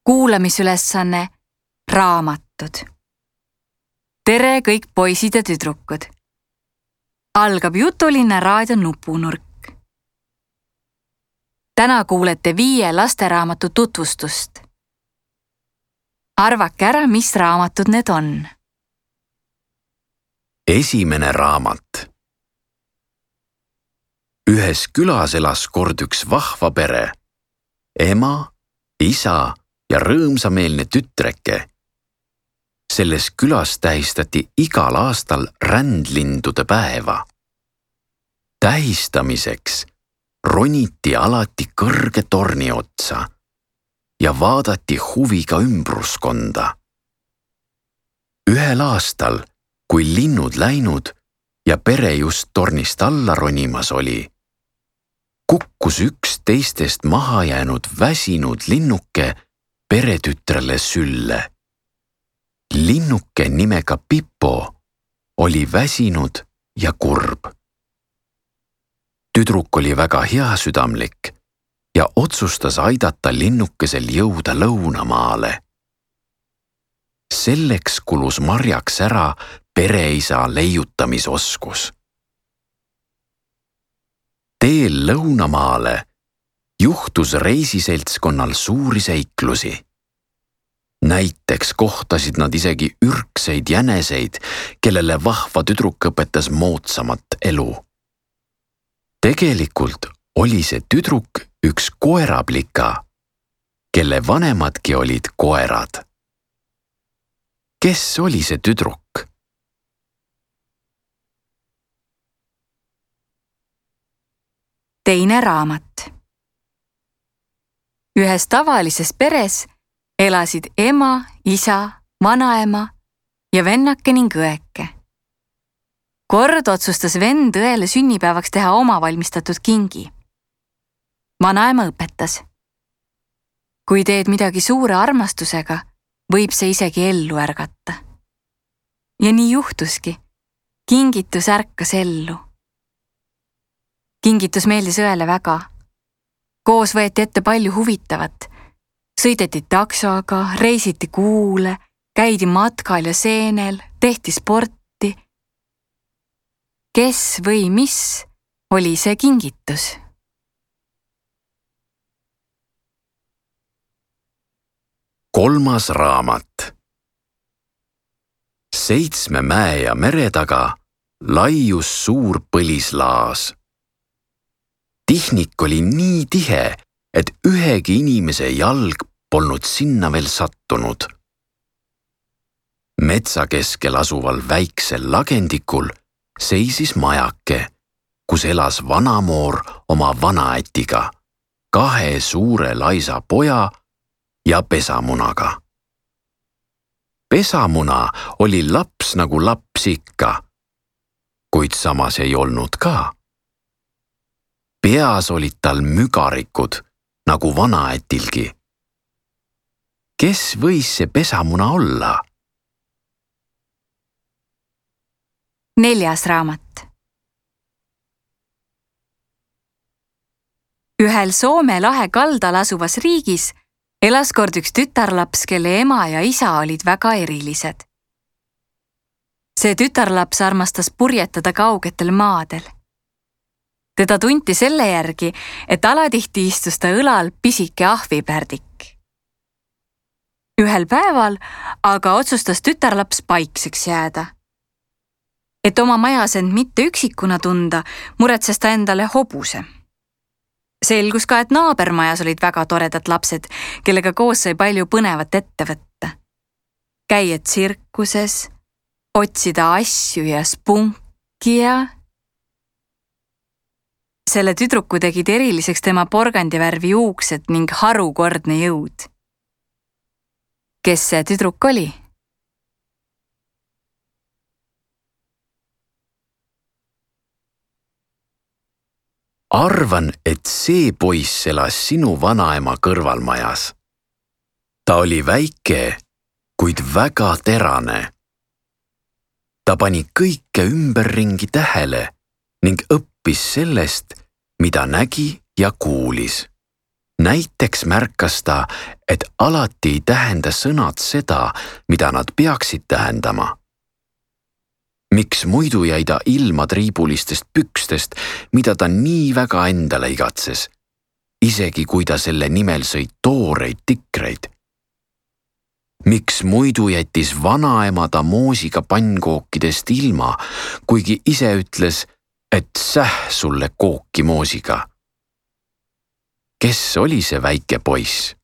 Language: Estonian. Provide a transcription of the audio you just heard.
Kuulamisülesanne raamatud. Tere kõik poisid ja tüdrukud. Algab Jutulinna raadio nupunurk. Täna kuulete 5 lasteraamatu tutvustust. Arvake ära, mis raamatud need on. Esimene raamat. Ühes külas elas kord üks vahva pere. Ema, isa ja rõõmsameelne tütreke. Selles külas tähistati igal aastal rändlindude päeva. Tähistamiseks roniti alati kõrge torni otsa ja vaadati huviga ümbruskonda. Ühel aastal, kui linnud läinud ja pere just tornist alla ronimas oli, kukkus üks teistest maha jäänud väsinud linnuke peretütrele sülle. Linnuke nimega Pipo oli väsinud ja kurb. Tüdruk oli väga heasüdamlik ja otsustas aidata linnukesel jõuda lõunamaale. Selleks kulus marjaks ära pereisa leiutamisoskus. Teel lõunamaale juhtus reisiseltskonnal suuri seiklusi. Näiteks kohtasid nad isegi ürkseid jäneseid, kellele vahva tüdruk õpetas moodsamat elu. Tegelikult oli see tüdruk üks koeraplika, kelle vanemadki olid koerad. Kes oli see tüdruk? Teine raamat. Ühes tavalises peres elasid ema, isa, vanaema ja vennake ning õeke. Kord otsustas vend õele sünnipäevaks teha oma valmistatud kingi. Vanaema õpetas. Kui teed midagi suure armastusega, võib see isegi ellu ärgata. Ja nii juhtuski. Kingitus ärkas ellu. Kingitus meeldis õele väga. Koos võeti ette palju huvitavat. Sõideti taksoga, reisiti kuule, käidi matkal ja seenel, tehti sporti. Kes või mis oli see kingitus? Kolmas raamat. 7 mäe ja mere taga laius suur põlislaas. Tihnik oli nii tihe, et ühegi inimese jalg polnud sinna veel sattunud. Metsa keskel asuval väiksel lagendikul seisis majake, kus elas vanamoor oma vanaätiga, 2 suure laisa poja ja pesamunaga. Pesamuna oli laps nagu laps ikka, kuid samas ei olnud ka. Peas olid tal mügarikud, nagu vanaätilgi. Kes võis see pesamuna olla? 4. raamat. Ühel Soome lahe kaldal asuvas riigis elas kord üks tütarlaps, kelle ema ja isa olid väga erilised. See tütarlaps armastas purjetada kaugetel maadel. Teda tunti selle järgi, et alatihti istus ta õlal pisike ahvipärdik. Ühel päeval aga otsustas tütarlaps paikseks jääda. Et oma majas end mitte üksikuna tunda, muretses ta endale hobuse. Selgus ka, et naabermajas olid väga toredad lapsed, kellega koos sai palju põnevat ette võtta. Käia tsirkuses, otsida asju ja spunki ja... Selle tüdruku tegid eriliseks tema porgandivärvi juuksed ning harukordne jõud. Kes see tüdruk oli? Arvan, et see poiss elas sinu vanaema kõrvalmajas. Ta oli väike, kuid väga terane. Ta pani kõike ümberringi tähele ning õppis sellest, mida nägi ja kuulis. näiteks märkas ta, et alati ei tähenda sõnad seda, mida nad peaksid tähendama. Miks muidu jäi ta ilma triibulistest pükstest, mida ta nii väga endale igatses, isegi kui ta selle nimel sõi tooreid tikreid? Miks muidu jättis vanaema ta moosiga pannkookidest ilma, kuigi ise ütles, et sulle kooki moosiga? Kes oli see väike poiss?